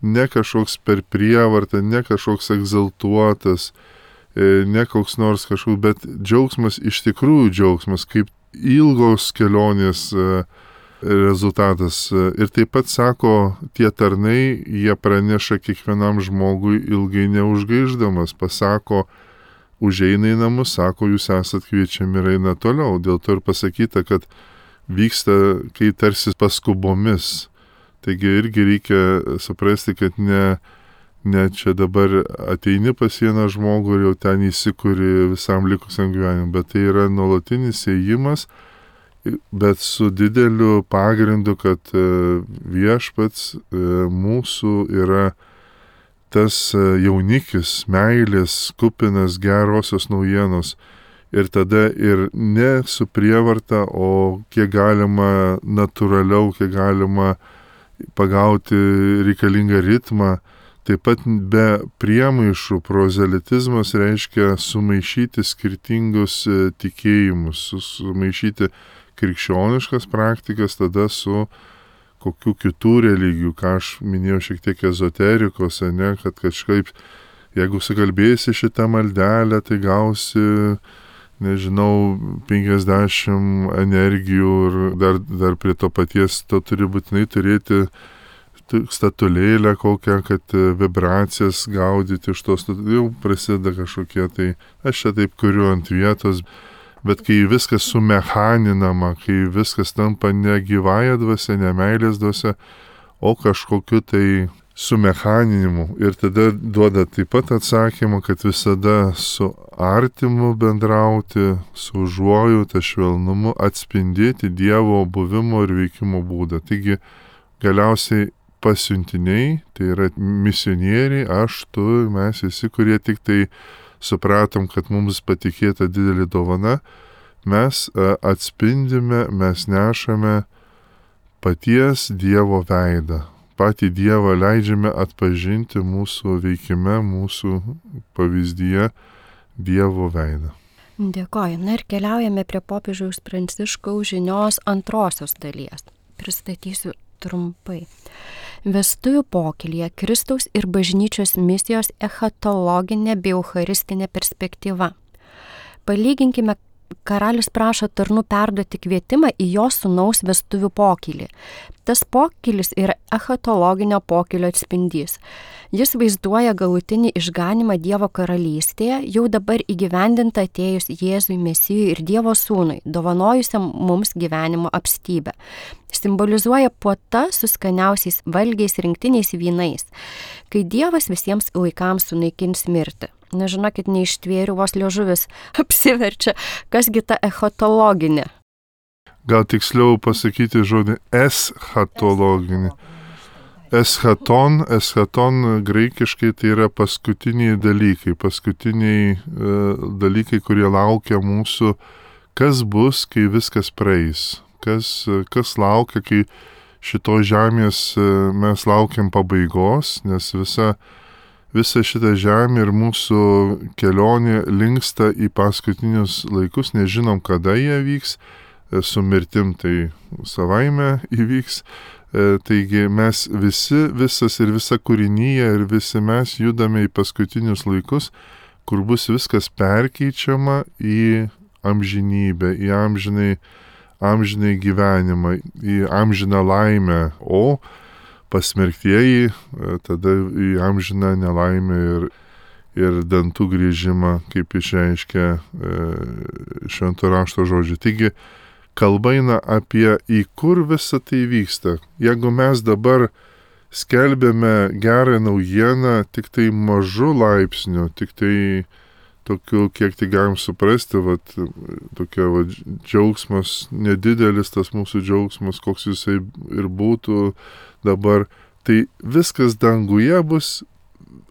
ne kažkoks per prievartą, ne kažkoks egzaltuotas, ne koks nors kažkoks, bet džiaugsmas iš tikrųjų džiaugsmas, kaip ilgos kelionės rezultatas. Ir taip pat sako, tie tarnai, jie praneša kiekvienam žmogui ilgai neužgaišdamas, pasako, užeina į namus, sako, jūs esat kviečiami ir eina toliau. Dėl to ir pasakyta, kad vyksta, kai tarsi paskubomis. Taigi irgi reikia suprasti, kad ne, ne čia dabar ateini pas vieną žmogų ir jau ten įsikuri visam likusiam gyvenimui, bet tai yra nuolatinis ėjimas, bet su dideliu pagrindu, kad viešpats mūsų yra tas jaunikis, meilės, kupinas gerosios naujienos. Ir tada ir ne su prievarta, o kiek galima natūraliau, kiek galima pagauti reikalingą ritmą. Taip pat be priemaišų prozelitizmas reiškia sumaišyti skirtingus tikėjimus, sumaišyti krikščioniškas praktikas tada su kokių kitų religijų, ką aš minėjau šiek tiek ezoterikos, ne, kad kažkaip, jeigu sukalbėsi šitą maldelę, tai gausi, nežinau, penkiasdešimt energijų ir dar, dar prie to paties to turi būtinai turėti statulėlę kokią, kad vibracijas gaudyti iš tos, jau prasideda kažkokie, tai aš čia taip kuriu ant vietos. Bet kai viskas sumechaninama, kai viskas tampa ne gyvąja dvasia, ne meilės dvasia, o kažkokiu tai sumechaninimu. Ir tada duoda taip pat atsakymą, kad visada su artimu bendrauti, su užuojauta, švelnumu, atspindėti Dievo buvimo ir veikimo būdą. Taigi galiausiai pasiuntiniai, tai yra misionieriai, aš, tu, mes visi, kurie tik tai supratom, kad mums patikėta didelė dovana, mes atspindime, mes nešame paties Dievo veidą. Patį Dievą leidžiame atpažinti mūsų veikime, mūsų pavyzdyje Dievo veidą. Dėkoju. Na ir keliaujame prie popiežiaus Pranciškaus žinios antrosios dalies. Pristatysiu trumpai. Vestuvių pokylyje Kristaus ir bažnyčios misijos eschatologinė bei eucharistinė perspektyva. Palyginkime, karalius prašo tarnų perduoti kvietimą į jo sūnaus vestuvių pokylį. Tas pokylis yra eschatologinio pokylio atspindys. Jis vaizduoja galutinį išganimą Dievo karalystėje, jau dabar įgyvendinta atėjus Jėzui Mesijui ir Dievo sūnui, dovanojusiam mums gyvenimo apstybę. Simbolizuoja puota su skaniausiais valgiais rinktiniais vynais, kai Dievas visiems laikams sunaikins mirtį. Nežinokit, neištvėriu, vos liežuvis apsiverčia, kasgi ta eschatologinė. Gal tiksliau pasakyti žodį eschatologinė. Eschaton, eschaton graikiškai tai yra paskutiniai dalykai, paskutiniai e, dalykai, kurie laukia mūsų, kas bus, kai viskas praeis, kas, kas laukia, kai šito žemės e, mes laukiam pabaigos, nes visa, visa šita žemė ir mūsų kelionė linksta į paskutinius laikus, nežinom, kada jie vyks, e, su mirtim tai savaime įvyks. Taigi mes visi, visas ir visa kūrinyje ir visi mes judame į paskutinius laikus, kur bus viskas perkeičiama į amžinybę, į amžinai, amžinai gyvenimą, į amžiną laimę, o pasmerktieji tada į amžiną nelaimę ir, ir dantų grįžimą, kaip išreiškia e, švento rašto žodžiai. Taigi, kalba eina apie į kur visa tai vyksta. Jeigu mes dabar skelbėme gerą naujieną tik tai mažu laipsniu, tik tai tokiu, kiek tai galim suprasti, vat, tokia vat, džiaugsmas, nedidelis tas mūsų džiaugsmas, koks jisai ir būtų dabar, tai viskas danguje bus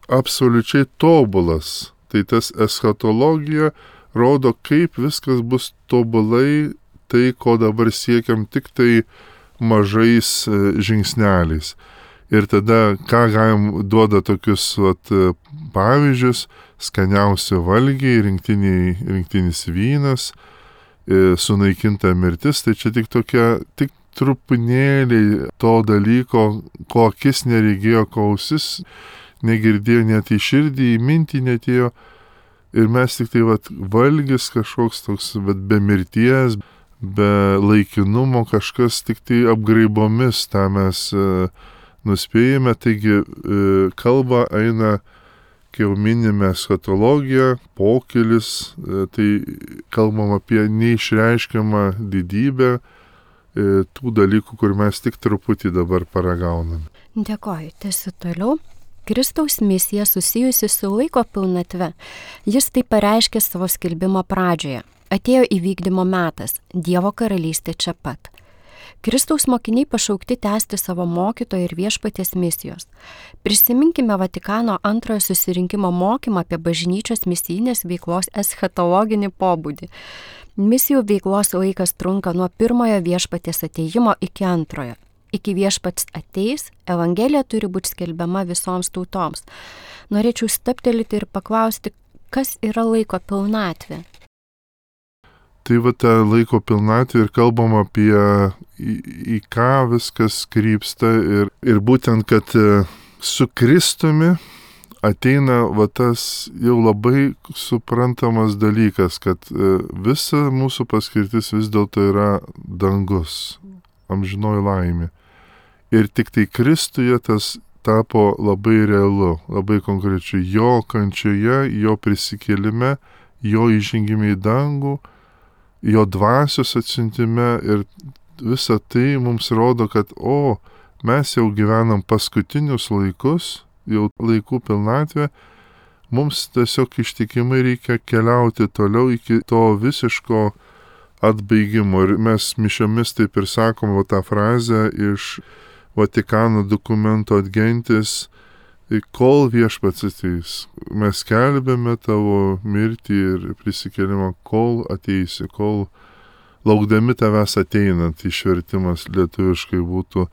absoliučiai tobulas. Tai tas eschatologija rodo, kaip viskas bus tobulai, tai, ko dabar siekiam tik tai mažais žingsneliais. Ir tada, ką galim duoda tokius vat, pavyzdžius, skaniausi valgiai, rinktiniai, rinktinis vynas, sunaikinta mirtis, tai čia tik tokia, tik trupinėliai to dalyko, ko akis neregėjo, ko ausis negirdėjo, net į širdį, į mintį netėjo. Ir mes tik tai vat, valgis kažkoks toks, bet be mirties, be laikinumo, kažkas tik tai apgraibomis tą mes e, nuspėjame. Taigi e, kalba eina, kai jau minime eschatologiją, pokylis, e, tai kalbam apie neišreiškiamą didybę e, tų dalykų, kur mes tik truputį dabar paragauname. Dėkoju, tęsiu toliau. Kristaus misija susijusi su laiko pilnatve. Jis tai pareiškė savo skelbimo pradžioje. Atėjo įvykdymo metas, Dievo karalystė čia pat. Kristaus mokiniai pašaukti tęsti savo mokytojo ir viešpaties misijos. Prisiminkime Vatikano antrojo susirinkimo mokymą apie bažnyčios misijinės veiklos eschatologinį pobūdį. Misijų veiklos laikas trunka nuo pirmojo viešpaties atėjimo iki antrojo. Iki viešpats ateis, Evangelija turi būti skelbiama visoms tautoms. Norėčiau staptelėti ir paklausti, kas yra laiko pilnatvė? Tai va ta laiko pilnatvė ir kalbam apie į, į ką viskas krypsta ir, ir būtent, kad su Kristumi ateina va tas jau labai suprantamas dalykas, kad visa mūsų paskirtis vis dėlto yra dangus, amžinoji laimė. Ir tik tai Kristuje tas tapo labai realu, labai konkrečiai. Jo kančioje, jo prisikėlime, jo įžengime į dangų, jo dvasios atsiuntime ir visa tai mums rodo, kad o, mes jau gyvenam paskutinius laikus, jau laikų pilnatvė, mums tiesiog ištikimai reikia keliauti toliau iki to visiško atbaigimo. Ir mes mišiomis taip ir sakom va, tą frazę iš Vatikano dokumento Adgentis, kol viešpats ateis. Mes skelbėme tavo mirtį ir prisikėlimą, kol ateisi, kol laukdami tavęs ateinant, išvertimas lietuviškai būtų,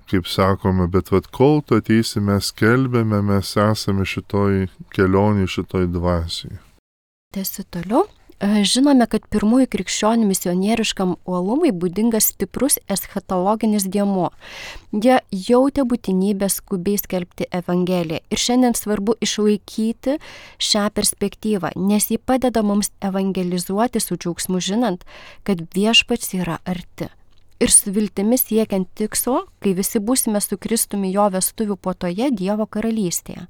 kaip sakome, bet vat kol tu ateisi, mes skelbėme, mes esame šitoj kelionėj, šitoj dvasiai. Tęsiu toliau. Žinome, kad pirmųjų krikščionių misionieriškam uolumui būdingas stiprus eschatologinis dėmuo. Jie jautė būtinybę skubiai skelbti Evangeliją ir šiandien svarbu išlaikyti šią perspektyvą, nes ji padeda mums evangelizuoti su džiaugsmu žinant, kad viešpats yra arti. Ir su viltimi siekiant tikslo, kai visi būsime su Kristumi jo vestuvių puotoje Dievo karalystėje.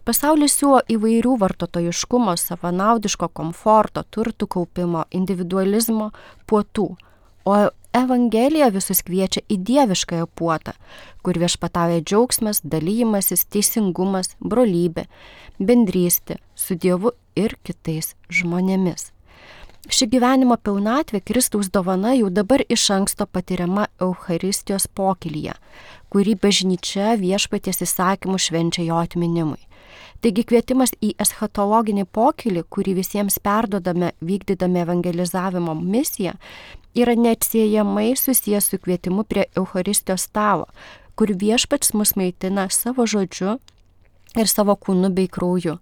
Pasaulis siūlo įvairių vartotojiškumo, savanaudiško komforto, turtų kaupimo, individualizmo puotų, o Evangelija visus kviečia į dieviškąją puotą, kur viešpatauja džiaugsmas, dalymasis, teisingumas, brolybė, bendrystė su Dievu ir kitais žmonėmis. Ši gyvenimo pilnatvė Kristaus dovana jau dabar iš anksto patiriama Eucharistijos pokylyje, kurį bažnyčia viešpaties įsakymų švenčia jo atminimui. Taigi kvietimas į eschatologinį pokylį, kurį visiems perdodame vykdydami evangelizavimo misiją, yra neatsiejamai susijęs su kvietimu prie Eucharistijos stalo, kur viešpats mus maitina savo žodžiu ir savo kūnu bei krauju.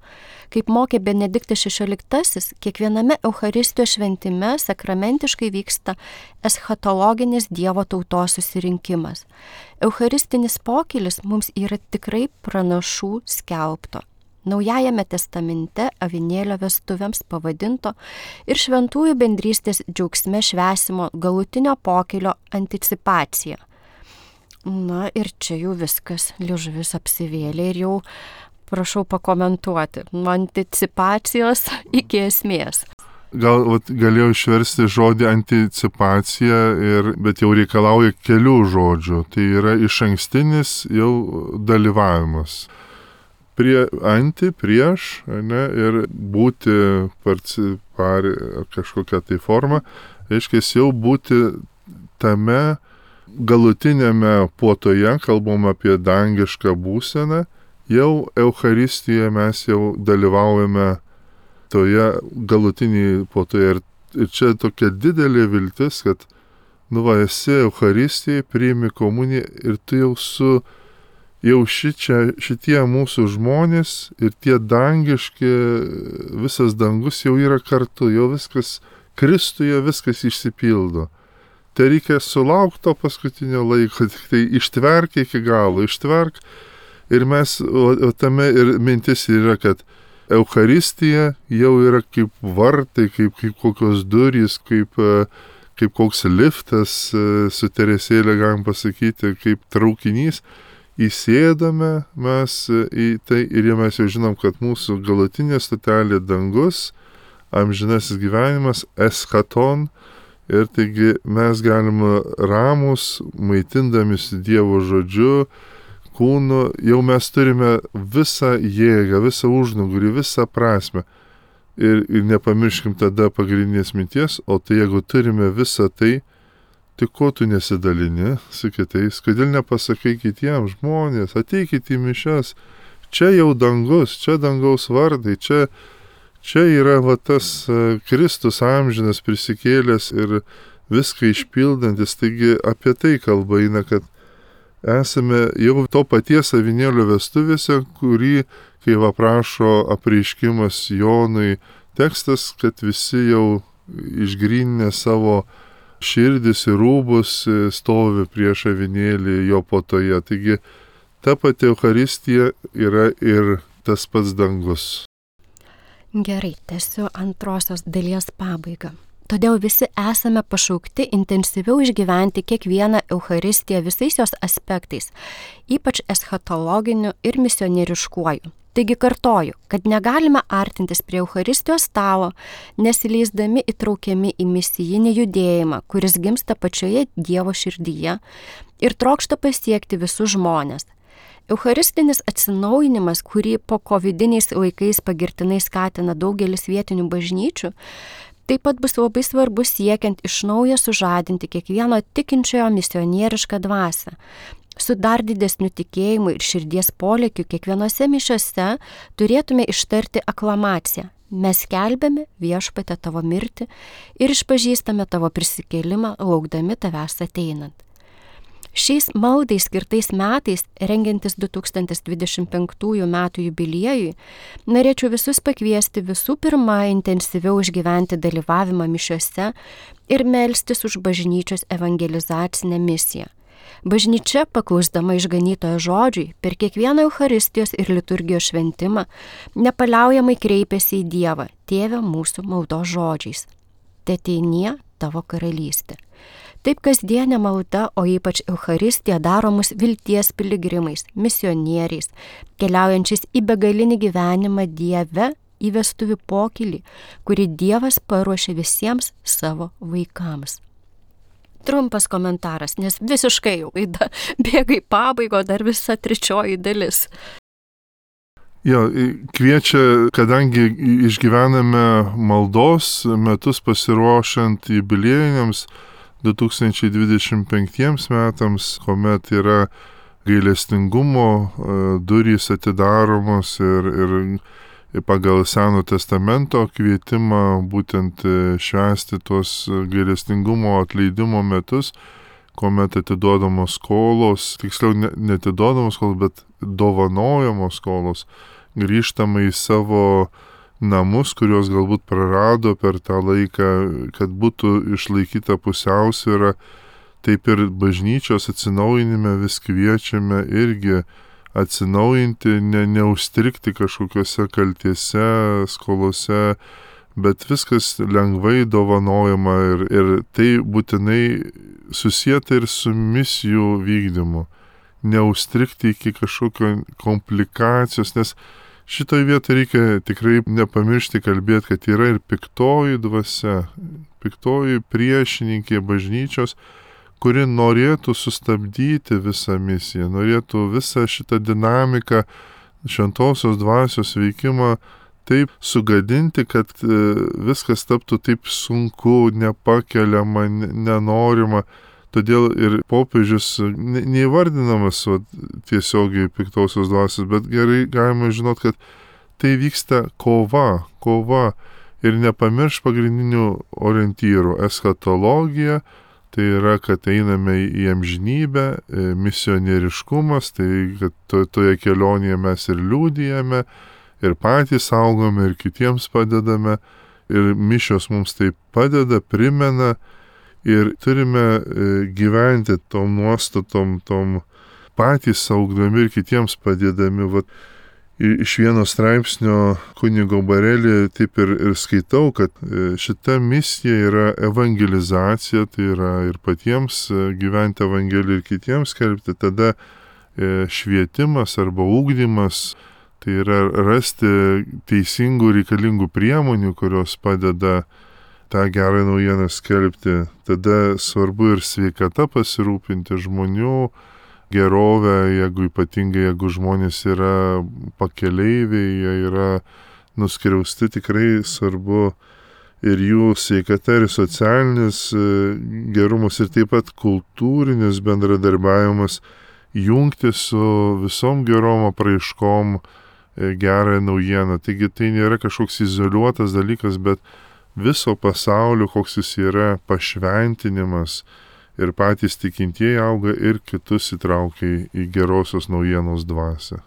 Kaip mokė Benediktas šešioliktasis, kiekviename Eucharistijos šventime sakramentiškai vyksta eschatologinis Dievo tautos susirinkimas. Eucharistinis pokylis mums yra tikrai pranašų skelbto. Naujajame testamente avinėlio vestuvėms pavadinto ir šventųjų bendrystės džiaugsme švęsimo galutinio pokylio anticipacija. Na ir čia jau viskas, liežuvis apsivėlė ir jau prašau pakomentuoti nuo anticipacijos iki esmės. gal vat, galėjau išversti žodį anticipacija, ir, bet jau reikalauja kelių žodžių. Tai yra iš ankstinis jau dalyvavimas. Prie anti, prieš, ne, ir būti parcipari kažkokią tai formą, reiškia jau būti tame galutinėme puotoje, kalbam apie dangišką būseną, jau Eucharistijoje mes jau dalyvaujame toje galutinėje puotoje. Ir, ir čia tokia didelė viltis, kad, nu va, esi Eucharistijai, priimi komuniją ir tu jau su, jau šičia, šitie mūsų žmonės ir tie dangiški, visas dangus jau yra kartu, jau viskas, Kristuje viskas išsipildo. Tai reikia sulaukti to paskutinio laiko, tik tai ištverk iki galo, ištverk. Ir mes, o, o tame ir mintis yra, kad Eucharistija jau yra kaip vartai, kaip, kaip kokios durys, kaip, kaip koks liftas, su Teresėlė galim pasakyti, kaip traukinys. Įsėdame mes į tai ir mes jau žinom, kad mūsų galutinė stotelė dangus, amžinasis gyvenimas, eschaton. Ir taigi mes galime ramus, maitindamisi Dievo žodžiu, kūnu, jau mes turime visą jėgą, visą užnugarį, visą prasme. Ir, ir nepamirškim tada pagrindinės minties, o tai jeigu turime visą tai, tai ko tu nesidalini su kitais, kodėl nepasakai kitiems žmonės, ateikit į mišias, čia jau dangus, čia dangaus vardai, čia, čia yra va tas Kristus amžinas prisikėlęs ir viską išpildantis, taigi apie tai kalba eina, kad esame jau to paties avinėlio vestuvėse, kurį, kai aprašo apreiškimas Jonui tekstas, kad visi jau išgryninę savo širdis ir rūbus stovi prieš avinėlį jo puotoje. Taigi ta pati Eucharistija yra ir tas pats dangus. Gerai, tęsiu antrosios dalies pabaigą. Todėl visi esame pašaukti intensyviau išgyventi kiekvieną Eucharistiją visais jos aspektais, ypač eschatologiniu ir misionieriškuoju. Taigi kartoju, kad negalime artintis prie Eucharistijos stalo, nesileisdami įtraukiami į misijinį judėjimą, kuris gimsta pačioje Dievo širdyje ir trokšta pasiekti visus žmones. Eucharistinis atsinaujinimas, kurį po kovidiniais laikais pagirtinai skatina daugelis vietinių bažnyčių, taip pat bus labai svarbus siekiant iš naujo sužadinti kiekvieno tikinčiojo misionierišką dvasią. Su dar didesniu tikėjimu ir širdies polėkiu kiekvienose mišiose turėtume ištarti aklamaciją. Mes skelbiame Viešpatie tavo mirtį ir išpažįstame tavo prisikėlimą, laukdami tavęs ateinant. Šiais maldai skirtais metais, rengiantis du tūkstantis dvidešimt penktųjų metų jubiliejui, norėčiau visus pakviesti visų pirma intensyviau išgyventi dalyvavimą mišiose ir melstis už bažnyčios evangelizacinę misiją. Bažnyčia, paklusdama išganytojo žodžiui, per kiekvieną Eucharistijos ir liturgijos šventimą nepaliaujamai kreipiasi į Dievą, Tėve mūsų maldos žodžiais. Teteinie tavo karalystė. Taip kasdienė malda, o ypač Eucharistija daro mus vilties piligrimais, misionieriais, keliaujančiais į begalinį gyvenimą Dieve, į vestuvių pokylį, kurį Dievas paruošė visiems savo vaikams. Trumpas komentaras, nes visiškai jau laida bėga į pabaigą, dar visa trečioji dalis. Jo, kviečia, kadangi išgyvename maldos metus pasiruošiant jubiliejiniams du tūkstančiai dvidešimt penktiems metams, kuomet yra gailestingumo durys atidaromos ir, ir pagal Seno testamento kvietimą būtent švęsti tuos gailestingumo atleidimo metus, kuomet atiduodamos skolos, tiksliau neatiduodamos skolos, bet dovanojamos skolos, grįžtama į savo namus, kuriuos galbūt prarado per tą laiką, kad būtų išlaikyta pusiausvyra, taip ir bažnyčios atsinaujinime vis kviečiame irgi atsinaujinti, ne, neužstrigti kažkokiose kaltėse, skolose, bet viskas lengvai dovanojama ir, ir tai būtinai susieta ir su misijų vykdymu. Neužstrigti iki kažkokio komplikacijos, nes šitoje vietoje reikia tikrai nepamiršti kalbėti, kad yra ir piktoji dvasia, piktoji priešininkė bažnyčios, kuri norėtų sustabdyti visą misiją, norėtų visą šitą dinamiką, šventosios dvasios veikimą taip sugadinti, kad viskas taptų taip sunku, nepakeliama, nenorima. Todėl ir popiežius neįvardinamas va, tiesiogiai piktosios dvasios, bet gerai galima žinot, kad tai vyksta kova, kova ir nepamirš pagrindinių orientyrų - eschatologija, tai yra, kad einame į amžinybę, misionieriškumas, tai kad to, toje kelionėje mes ir liūdijame, ir patys augome, ir kitiems padedame, ir mišios mums tai padeda, primena, ir turime gyventi tom nuostatom, tom patys augdami ir kitiems padėdami. Vat, iš vieno straipsnio kunigo Barelį taip ir, ir skaitau, kad šita misija yra evangelizacija, tai yra ir patiems gyventi evangeliją ir kitiems skelbti, tada švietimas arba ugdymas, tai yra rasti teisingų reikalingų priemonių, kurios padeda tą gerą naujieną skelbti. Tada svarbu ir sveikata pasirūpinti, žmonių gerovę, jeigu ypatingai, jeigu žmonės yra pakeleiviai, jie yra nuskriausti, tikrai svarbu ir jų sveikata, ir socialinis gerumas, ir taip pat kultūrinis bendradarbiavimas, jungti su visom gerom apraiškom gerą naujieną. Taigi tai nėra kažkoks izoliuotas dalykas, bet viso pasaulio, koks jis yra, pašventinimas, ir patys tikintieji auga ir kitus įtraukia į gerosios naujienos dvasią.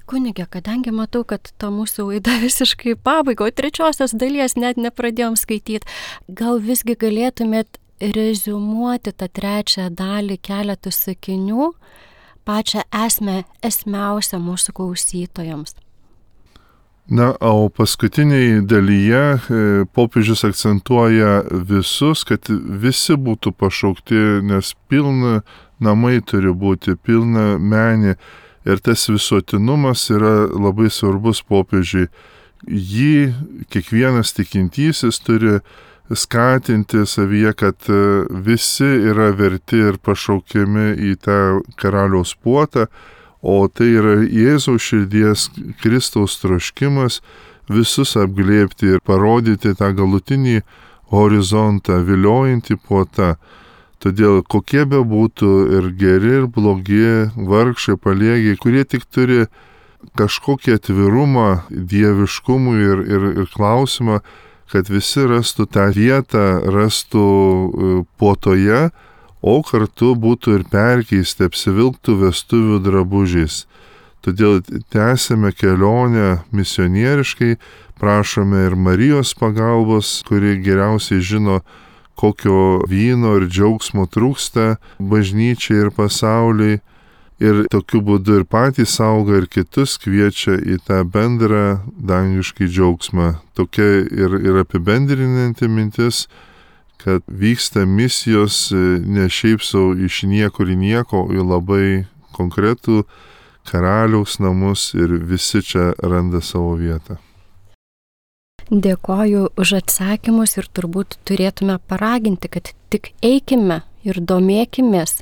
Kunige, kadangi matau, kad ta mūsų laida visiškai pabaiga, o trečiosios dalies net nepradėjom skaityti, gal visgi galėtumėt reziumuoti tą trečią dalį keletų sakinių, pačią esmę, esmiausią mūsų klausytojams. Na, o paskutiniai dalyje popiežius akcentuoja visus, kad visi būtų pašaukti, nes pilna namai turi būti, pilna menė. Ir tas visuotinumas yra labai svarbus popiežiui. Jį kiekvienas tikintysis turi skatinti savyje, kad visi yra verti ir pašaukiami į tą karaliaus puotą, o tai yra Jėzaus širdies Kristaus troškimas visus apglėbti ir parodyti tą galutinį horizontą, viliojantį puotą. Todėl kokie be būtų ir geri, ir blogi, vargšai, paliegi, kurie tik turi kažkokį atvirumą dieviškumui ir, ir, ir klausimą, kad visi rastų tą vietą, rastų puotoje, o kartu būtų ir perkeisti, apsivilktų vestuvių drabužiais. Todėl tęsime kelionę misionieriškai, prašome ir Marijos pagalbos, kuri geriausiai žino, kokio vyno ir džiaugsmo trūksta bažnyčiai ir pasauliai. Ir tokiu būdu ir patys auga, ir kitus kviečia į tą bendrą dangiškį džiaugsmą. Tokia ir, ir apibendrinanti mintis, kad vyksta misijos ne šiaip sau iš niekur į nieko, į labai konkretų karaliaus namus ir visi čia randa savo vietą. Dėkoju už atsakymus ir turbūt turėtume paraginti, kad tik eikime ir domėkimės.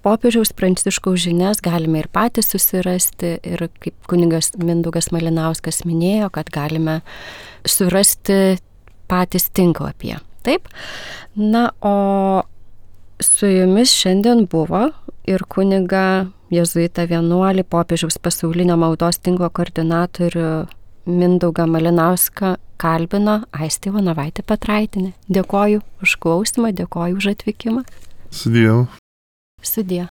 Popiežiaus Pranciškaus žinias galime ir patys susirasti ir kaip kunigas Mindaugas Malinauskas minėjo, kad galime surasti patys tinklapyje. Taip? Na, o su jumis šiandien buvo ir kuniga jėzuitą vienuolį popiežiaus pasaulinio maldos tinklo koordinatorių Mindaugą Malinauską kalbino Aistė Ivanovaitė Petraitinė. Dėkoju už klausimą, dėkoju už atvykimą. Sudie. Sudie.